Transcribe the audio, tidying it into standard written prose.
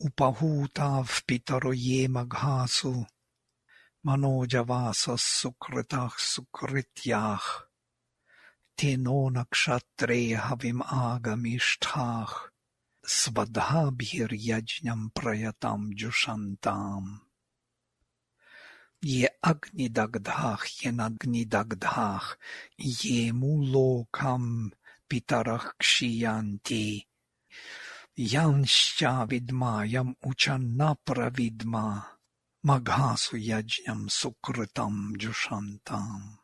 उपहूताः पितरो ये मघासु मनोजवासः सुकृताः सुकृत्याः ते नो नक्षत्रे हविम् आगमिष्ठाः स्वधाभिर्यज्ञम् प्रयताम् जुषन्ताम् ये अग्निदग्धाः येनाग्निदग्धाः ये मूलोकम् पितरः क्षीयन्ति यांश्चाविद्मायम् उच न प्रविद्म मघासु यज्ञम् सुकृतम् जुषन्ताम्